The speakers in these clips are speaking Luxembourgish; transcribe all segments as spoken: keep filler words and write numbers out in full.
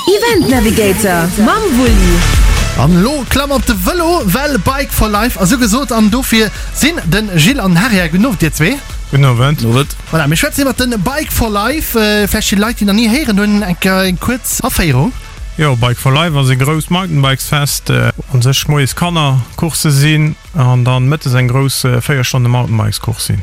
Event Navigator mam Wulli. An elo klamm op de Vëlo, well Bike for Life ass ugesot an dofir sinn de Gilles an den Harry hei. Gudden Owend dir zwee. Gudden Owend. Owend. Voilà, mir schwätzen iwwert de Bike for Life. Vläicht fir Leit, déi nach ni héieren hunn, eng eng kuerz Aféierung. Jo, Bike for Life ass e grousst Mountainbikesfest. Un sech moies Kannercoursse sinn an dann mëttes eng grouss véier Stonne Mountainbikescourse sinn.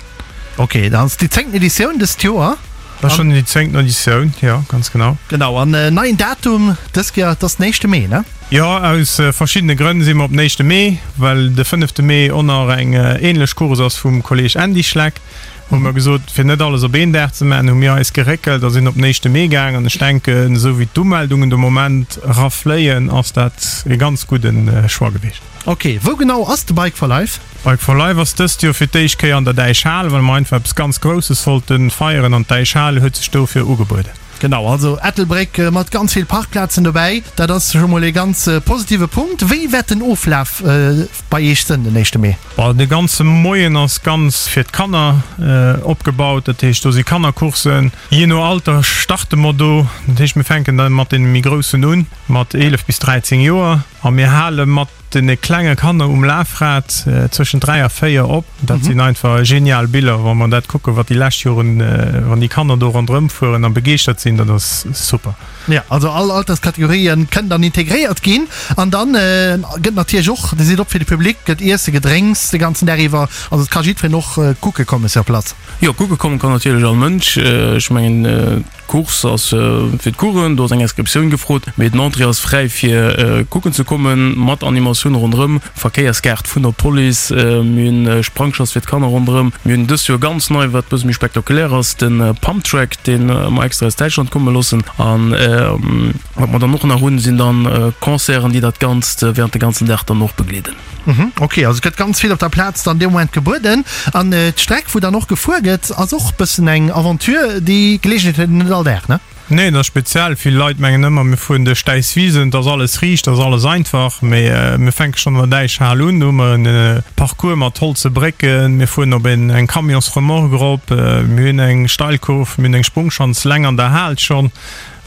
Ok, dat ass déi zéngten Editioun dëst Joer. Dat ass schonn déi zéngten Editioun, jo, ganz genau. Genau, an neien Datum dës Kéier, et ass den éischte Mee, ne? Jo, aus verschiddene Grënn si mer op den éischte Mee, well de fënnefte Mee och nach eng änlech Course ass vum Kolleeg Andy Schleck. Hu mer gesot, fir net alles op een Dag ze maachen, hu mir eis geréckelt a sinn op den éischte Mee gaang. An ech denken, esou wéi d'Umeldungen de Moment erafléien, ass dat e ganz gudde Choix gewiescht. Ok, wou genau ass de Bike for Life? Bike for Life ass dëst Joer fir d'éischt Kéier an der Däichhal, well mer einfach eppes ganz Grousses wollte feieren an d'Däichhal huet sech dofir ugebueden. Genau, also Ettelbréck mat ganz vill Parkplazen dobäi, dat ass scho mol ee ganz positive Punkt. Wéi wäert den Oflaf bei Iech sënn den éischte Mee? Bon, de ganze Moien ass ganz fir d'Kanner opgebaut, dat heescht do si Kannercoursen. Jee no Alter starte mer do, dat heescht mir fänken da mat deene méi Groussen un, mat eelef bis dräizéng Joer a mir hale mat den klenge Kanner um Lafrad zwëschen dräi a véier op. Dat sinn einfach genial Biller, wa mer dat kucken, wat déi lescht Joren, wann déi Kanner do ronderëm fueren a begeeschtert sinn, dat ass super. Jo, also all Alterskategorien kënnen dann integréiert ginn. An dann gëtt natierlech och, Dir sidd op fir de Public, gëtt Iesse, Gedrénks de ganzen Dag iwwer. Also et ka jiddwereen och kucke komme sur place. Jo, kucke komme kann natierlech all Mënsch. Ech mengen, D'Course ass fir d'Coursen, do ass eng Inscriptioun gefrot, mee den Entrée ass fräi fir kucken ze kommen, mat Animatioun ronderëm, Verkéierskaart vun der Police, mir hunn Sprangschanz fir d'Kanner ronderëm, mir hunn dëst Joer ganz nei, wat bësse méi spektakulär ass, de Pumptrack, dee mer extra aus Däitschland komme loossen an wat mer dann och nach hunn, sinn dann Concerten, déi dat Ganzt während de ganzen Dag dann och begleeden. Ok, also et gëtt ganz vill op der Plaz dann dee Moment gebueden. An d'Streck, wou dann och gefuer gëtt, ass och bëssen eng Aventure. Déi Geleegenheet huet een net all Dag, ne? Nee, dat ass speziell. Vill Leit mengen ëmmer, mir fueren duerch d'Äiswisen, et ass alles riicht, et ass alles einfach. Mee mir fänke schonn an der Däichhal un, do hu mer e Parcours mat holze Brécken, mir fueren op eng Camionsremorque erop, mir hunn eng Steilkurv, mir hunn eng Sprungschanz leng an der Hal schonn.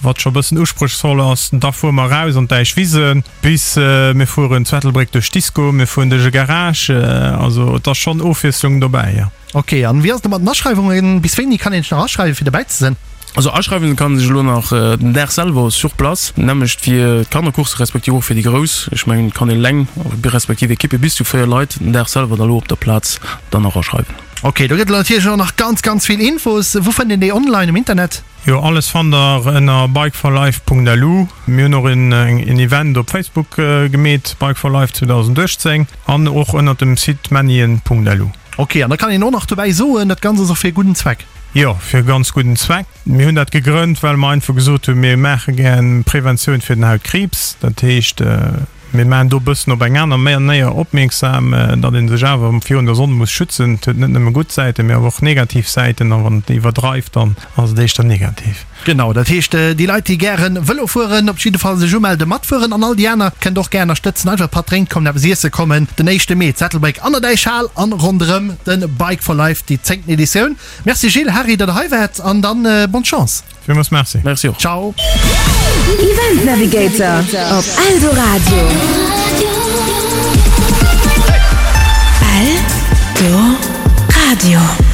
Wat scho bëssen usprochsvoll ass. Da fuere mer eraus an d'Däichwisen, bis mir fueren zu Ettelbréck duerch d'Disco, mir fueren duerch e Garage. Also et ass schonn Ofwiesslung dobäi, jo. Ok, an wéi ass et da mat den Aschreiwungen? Bis wéini kann een sech nach aschreiwen, fir dobäi ze sinn? Also aschreiwen kann ee sech elo nach den Dag selwer sur place, nämmlecht fir d'Kannercourse respektiv och fir déi Grouss. Ech mengen et kann een eleng respektiv Ekippe bis zu véier Leit den Dag selwer da elo op der Plaz dann nach aschreiwen. Ok, do gëtt et natierlech och nach ganz, ganz vill Infos. Wou fënnt een déi online um Internet? Jo, alles fannt der ënner bikeforlife.lu. Mir hunn och en Event op Facebook gemeet, Bike for Life zweedausenduechtzéng, an och ënnert dem Site mennien.lu. Ok, an da kann een och nach dobäi soen, dat Ganzt ass och fir e gudden Zweck. Jo, fir e ganz gudden Zweck. Mir hunn dat gegrënnt, well mer einfach gesot hunn, mir maache gär Preventioun fir den Hautkriibs. Dat heescht, Mir maachen do e bëssen op eng aner Manéier opmierksam, datt ee sech awer virun der Sonn muss schützen. Et huet net nëmme gutt Säiten, mee awer och negativ Säiten. A wann et iwwerdreift, dann ass et éischter negativ. Genau, dat heescht, déi Leit, déi gäre Vëlo fueren, op jidde Fall sech umelde, matfueren. An all déi aner kënnt och gär ënnerstëtzen, einfach e Patt drénkt kommen, eppes iesse kommen. Den éischte Mee, d'Sättelbréck an der Däichhal an ronderëm de Bike for Life, déi zéngten Editioun. Merci Gilles, Harry, datt der hei waart an dann bonne Chance. Villmools merci. Merci och. Ciao. Event Navigator op Eldoradio. Eldoradio.